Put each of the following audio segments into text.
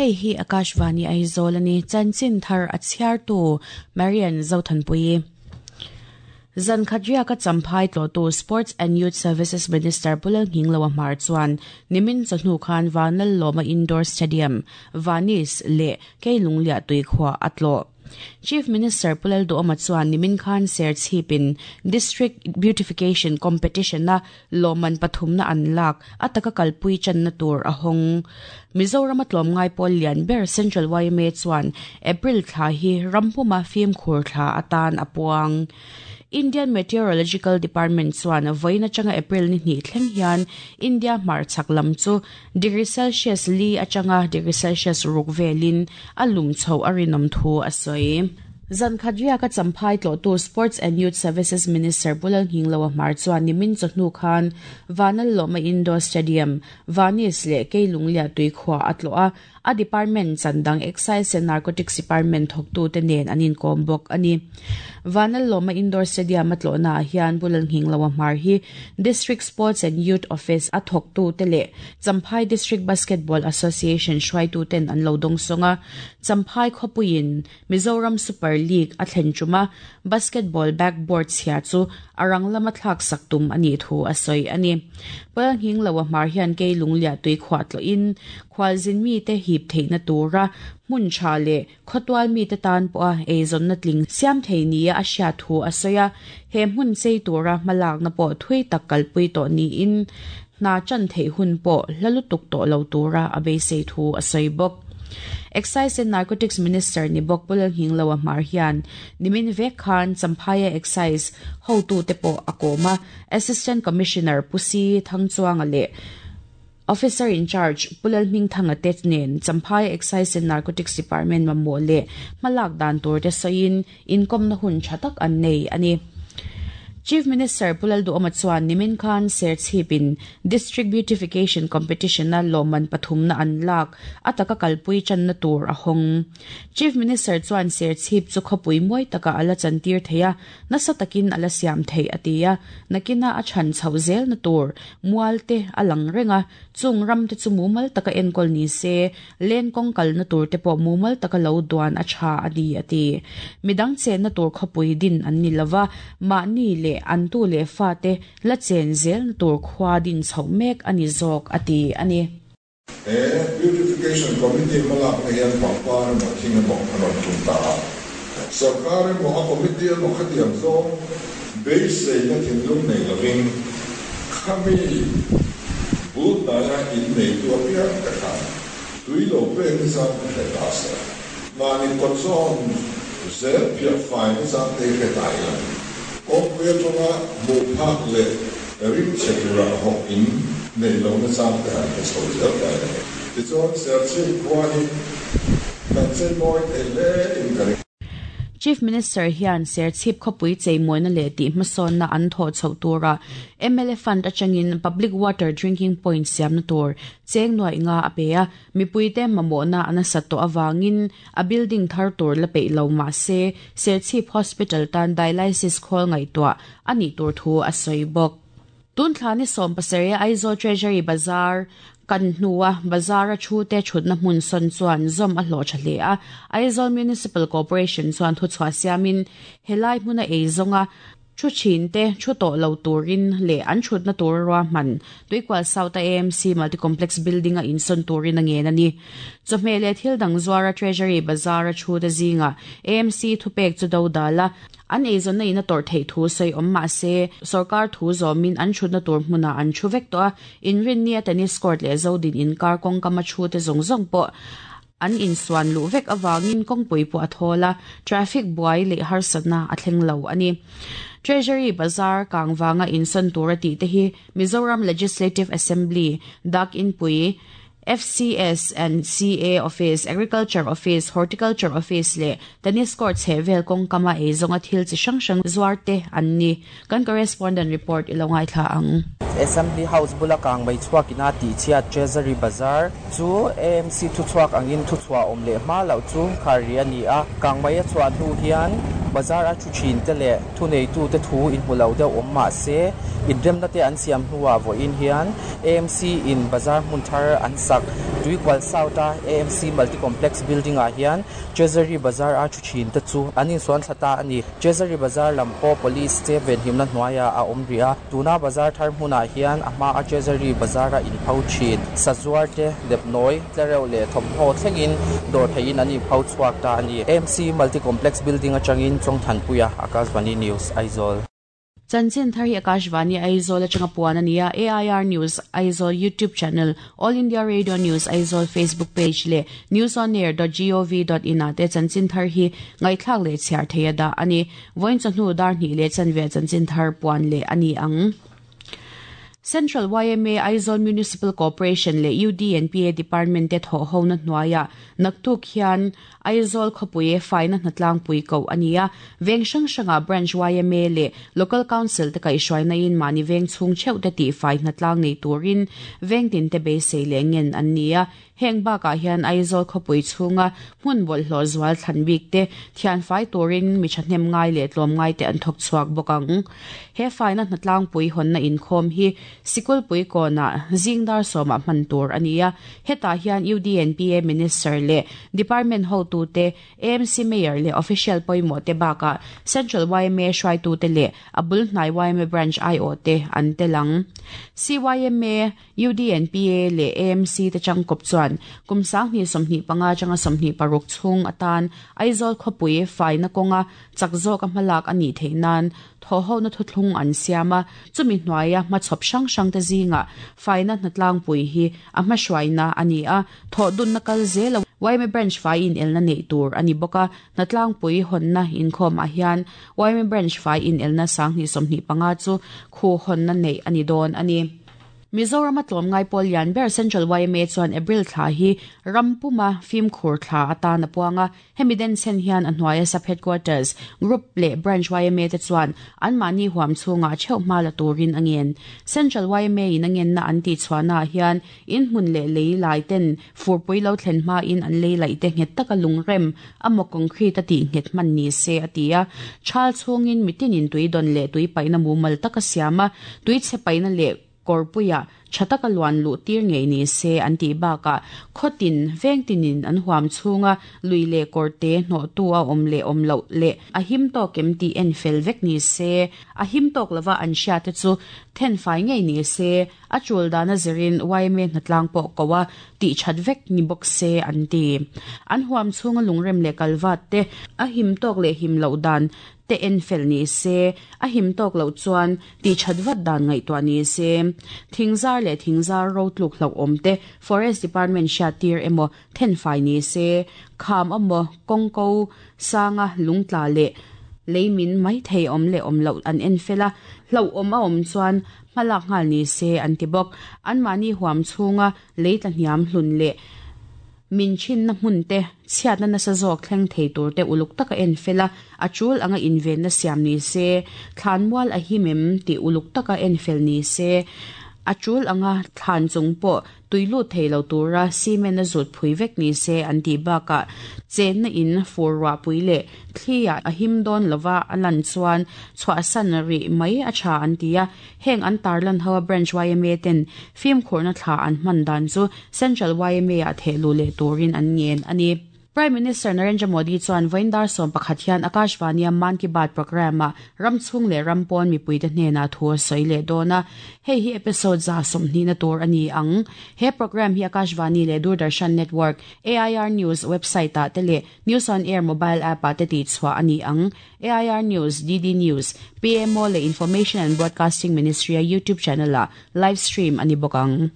Hei hi Akashvani Aizawl a ni. Chanchin thar a chhiartu Marian Zothanpuii. Zan khat riaka Champhai tlawhtu Sports and Youth Services Minister Pu Lalnghingloa Hmar chuan nimin chawhnu khan Vanlallawma Indoor Stadium, Vanis, leh Keilungliah tuikhuah a tlawh. Chief Minister Pu Lalduhawma chuan nimin khan Serchhipin District Beautification Competition-a lawmman pathumna an lak a taka kalpui channa tur a hawng. Mizorama tlawmngai pawl lian ber Central yma chuan April thla hi rampuma fimkhur thla atan a puang. Indian Meteorological Department chuan vawiin atanga April ni hnih thleng hian India hmarchhak lam chu degree Celsius li atanga degree Celsius ruk velin a lum chhoh a rinawm thu a sawi. Zan khat riaka Champhai tlawhtu Sports and Youth Services Minister Pu Lalnghingloa Hmar chuan nimin chawhnu khan Vanlallawma Indoor Stadium, Vanis leh Keilungliah tuikhuah a tlawh a, A department chan dang Excise and Narcotics Department thawktute nen an inkawm bawk a ni. Vanlallawma Indoor Stadium a tlawhnaah hian Pu Lalnghingloa Hmar hi District Sports and Youth Office a thawktute leh Champhai District Basketball Association hruaituten an lo dawngsawng a. Champhai khawpuiin Mizoram Super League a thlen ṭuma basketball backboard chhia chu a rang lama thlak sak tum a nih thu a sawi a ni. Pawlnghingloa hmar hian kei lungliah tui khuah tlawhin khualzin mite hip theihna tura hmun tha leh khawtual mite tan pawha eizawnna tling siam thei nia a hriat thu a sawi a. He hmun chei tura hmalakna pawh thui tak kalpui tawh niin hna chan theih hun pawh hla lutuk tawh lo tura a beisei thu a sawi bawk. Excise and Narcotics Minister ni bawk Pu Lalnghingloa Hmar hian nimin vek khan Champhaia Excise hotute pawh a kawm a, Assistant Commissioner Pu Si Thangchuanga leh Officer in Charge Pu Lalhmingthanga te nen Champhaia Excise and Narcotics Department mamawh leh hmalak dan tur te sawiin inkawmna hun tha tak an nei a ni. Chief Minister Pu Lalduhawma chuan nimin khan Serchhipin District Beautification Competition-a lawmman pathumna an lak a taka kalpui channa tur a hawng. Chief Minister chuan Serchhip chu khawpui mawi takah a la chantir thei a, nasa takin a la siam theih a ti a, nakina a chhan chhoh zelna tur mual te a lang reng a, chung ram te chu mumal taka enkawl ni se, Len kawng kalna tur te pawh mumal taka lo duan a tha a ni, a ti. Midang chenna tur khawpui din an ni lova, mahni leh an tu leh fate la chen zelna tur khua din chhoh mek a ni zawk, a ti a ni. He Beautification Committee hmalakna hian pangpar emaw thing emaw a rawn tum ta a. Sorkar emaw a committee emaw khatiang zawng beiseina thinlung nei lovin khami bul hnaia inneitu apiang te khan tui lo pek ni zan ka hre ta se, mahni kawt zawn zel phiah fai ni zan te hi hre ta ila, kawngpui atanga hmuh phak leh rim chhe tura hawk in nei lo na zan te han hre chho zel ta ila. Tichuan Serchhip khua hi kan cheimawi thei hle in ka ring. Chief Minister hian Serchhip khawpui cheimawina leh tih hmasawnna an thawh chhoh turah mla Fund atangin Public Water Drinking Point siamna tur cheng nuaih nga a pe a, mipuite mamawhna a nasat tawh avangin a building thar tur la peih lo mah se Serchhip Hospital tan Dialysis khawl ngaihtuah a nih tur thu a sawi bawk. Tun thla ni 17 Aizawl Treasury Bazar kan hnua bazar-a thute thutna hmun sawn chuan zawm a hlawh tha hle a. Aizawl Municipal Corporation chuan thuchhuah siamin helai hmuna ei zawnga thu thinte thu tawh lo turin leh an thutna tur ruahman Tuikual South-a AMC Multi-Complex Building-a insawn turin a ngen a ni. Chawhmeh leh thil dang zuara Treasury Bazar-a thute zingah AMC thupek chu dodal a, An eizawnna in a tawrh theih thu sawi awm mah se, sorkar thu zawmin an thutna tur hmunah an thu vek tawh a, inrinnia tennis court leh Zodin inkar kawngkam a thu te zawng zawng pawh an insuan luh vek avangin kawngpui pawh a thawl a, traffic buai leh harsatna a thleng lo a ni. Treasury Bazar kang vanga insawn tur a tih te hi Mizoram Legislative Assembly, Dak Inpui, FCS and CA Office, Agriculture Office, Horticulture Office leh Tennis Court chheh vel kawngkama ei zawnga thil chi hrang hrang zuar te an ni. Kan correspondent report i lo ngaithla ang. Assembly House bula kang mai chhuak ina tihchhiat Treasury Bazar chu AMC thuchhuak angin thuchhuah awm leh hma loh chu khar ri a ni a. Kang mai a chhuah hnu hian Bazar a thu thin te leh thuneitute thu inhmu lo deuh awm mah se, inremna te an siam hnuah vawiin hian AMC in bazar hmun thar an sak. Tuikual South a AMC Multi Complex Building ah hian Treasury Bazar a thu thin te chu an insuan thla ta a ni. Treasury Bazar lam pawh Police te venhimna hnuaiah a awm rih a, tuna bazar thar hmunah hian a hmaa Treasury Bazar a inpho thin. Sazuar te, lepnawi, tlereuh leh thawmhnaw thlengin dawr theihin an inpho chhuak ta a ni. AMC Multi Complex Building atangin Chawngthanpuia, Akashvani News, Aizawl. Chanchin thar hi Akashvani Aizawl atanga puan a ni a, AIR News Aizawl YouTube channel, All India Radio News Aizawl Facebook page leh newsonair.gov.in ah te chanchin thar hi ngaihthlak leh chhiar thei a dah a ni. Vawiin chawhnu dar hnih leh chanve chanchin thar puan leh a ni ang. Central yma, Aizawl Municipal Corporation leh UDNPA Department te thawhhona hnuaiah naktuk hian Aizawl khawpui faina hnatlangpui koh a ni a, veng hrang hrangah Branch yma leh Local Council te kaihhruainain mahni veng chhung theuh te tihfai hnatlang nei turin veng tinte beisei leh ngen an ni a. Heng bakah hian Aizawl khawpui chhunga hmun bawlhhlawh zual thlan bik te thianfai turin mi thahnem ngai leh tlawm ngai te an thawk chhuak bawk ang. He faina hnatlangpui hawnna inkhawm hi Sikulpui kawnah zing dar sawmah hman tur a ni a, hetah hian UDNPA Minister leh Department hotute, AMC Mayor leh Official pawimawh te bakah Central yma hruaitute leh a bul hnai yma Branch aiawh te an tel ang. CYMA UDNPA leh AMC te changkawp chuan kum 2025 atanga 26 chhung atan Aizawl khawpui faina kawnga chak zawka hmalak a nih theih nan thawhhona thuthlung an siam a, chumi hnuaia hmachhawp hrang hrangte zingah faina hnatlangpui hi a hmahruaina a ni a, thawhdunna kal zela yma Branch fai inelna neih tur a ni bawk a, hnatlangpui hawnna inkhawmah hian yma Branch fai inelna 2025 chu khu hawnna neih a ni dawn a ni. Mizorama tlawmngai pawl lian ber Central yma chuan April thla hi ram puma fimkhur thla atan a puang a, hemi denchhen hian a hnuaia Sub Headquarters, Group leh Branch yma te chuan anmahni huam chhungah theuh hma la turin a ngen. Central yma in a ngenna an tihchhuahnaah hian inhmun leh lei lai ten furpui lo thlen hmain an lei laih te nghet taka lungrem a maw concrete a tih nghet hman ni se a ti a. Thal chhungin mitinin tui dawn leh tui paihna mumal taka siam a, tui chhe paihna leh kawrpuiah tha taka luan luh tir ngei ni se an tih bakah khawtin veng tinin an huam chhunga lui leh kawrte hnawhtu a awm leh awm loh leh a him tawk em tih en fel vek ni se, a him tawk lova an hriate chu thenfai ngei ni se, a tul dana zirin yma hnatlang pawh ko a tih that vek ni bawk se an ti. An huam chhunga lungrem leh kalvat te a him tawk leh him loh dan te en fel ni se, a him tawk loh chuan tih that vat dan ngaihtuah ni se. Thingzar leh thingzar ro tluk hlauhawm te Forest Department hriat tir emaw thenfai ni se, kham emaw kawngko sanga lungtla leh leimin mai thei awm leh awm loh an en fel a, hlauhawm a awm chuan hmalak nghal ni se an ti bawk. Anmahni huam chhunga lei tla hniam hlun leh min thinna hmun te, chhiatna nasa zawk thleng thei tur te uluk taka en fel a, a tul anga invenna siam ni se, thlanmual a him em tih uluk taka en fel ni se, a tul anga thlan chung pawh tui lut thei lo tura cement a zut phui vek ni se an tih bakah chenna in fur ruahpui leh thliah a him dawn lova a lan chuan chhuahsan rih mai a tha an ti a, heng an tarlan ho a Branch yma ten fimkhurna thla an hman dan chu Central yma ah thehluh leh turin an ngen a ni. Prime Minister Narendra Modi chuan vawiin dar 11 hian Akashvani-a Mann Ki Baat programme-ah ram chhung leh ram pawn mipuite hnenah thu a sawi leh dawn a, hei hi episode 120 tur a ni ang. He programme hi Akashvani leh Doordarshan Network, AIR News website-ah te leh News on Air mobile app-ah te tihchhuah a ni ang. AIR News, DD News, PMO leh Information and Broadcasting Ministry-a YouTube channel-ah live stream a ni bawk ang.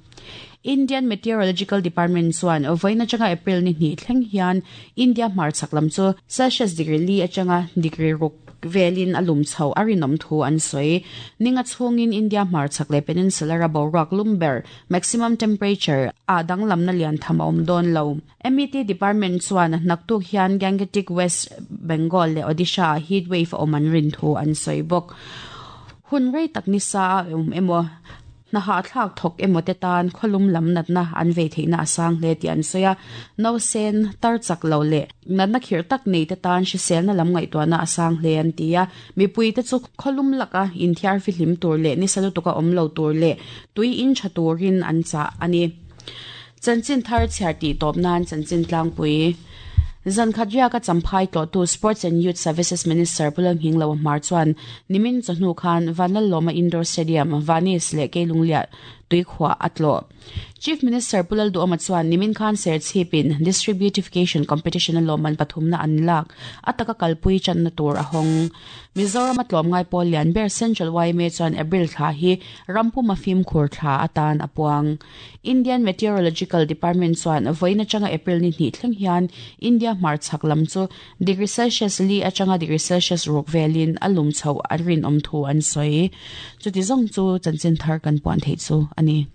Indian Meteorological Department chuan vawiin atanga April ni hnih thleng hian India hmarchhak lam chu Celsius degree li atanga degree ruk velin a lum chho a rinawm thu an sawi. Ninga chhungin India hmarchhak leh peninsular a boruak lum ber, maximum temperature, ah danglamna lian tham a awm dawn lo. MET Department chuan naktuk hian Gangetic West Bengal leh Odisha ah heat wave a awm an rin thu an sawi bawk. Hun rei tak nisa a awm emaw? Hna hahthlak thawk emaw te tan khawlum lam natna an vei theihna a sang hle tih an sawi a. Nausen, tar chak lo leh natna khirh tak nei te tan hriselna lam ngaihtuahna a sang hle an ti a. Mipui te chu khawlum laka inthiar fihlim tur leh nisa lutuka awm lo tur leh tui in tha turin an chah a ni. Chanchin thar chhiar tih tawp nan chanchin tlangpui. Zan khat riaka Champhai tlawhtu Sports and Youth Services Minister Pu Lalnghinglo Hmar chuan nimin chawhnu khan Vanlallawma Indoor Stadium, Vanis leh Keilungliah tuikhuah a tlawh. Chief Minister Pu Lalduhawma chuan nimin khan Serchhipin District Beautification Competition-a lawmman pathumna an lak a taka kalpui channa tur a hawng. Mizorama tlawmngai pawl lian ber Central yma chuan April thla hi rampuma fimkhur thla atan a puang. Indian Meteorological Department chuan vawiin atanga April ni hnih thleng hian India hmarchhak lam chu degree Celsius li atanga degree Celsius ruk velin a lum chhoh a rinawm thu an sawi. Chuti zawng chu chanchin thar kan puan theih chu a ni.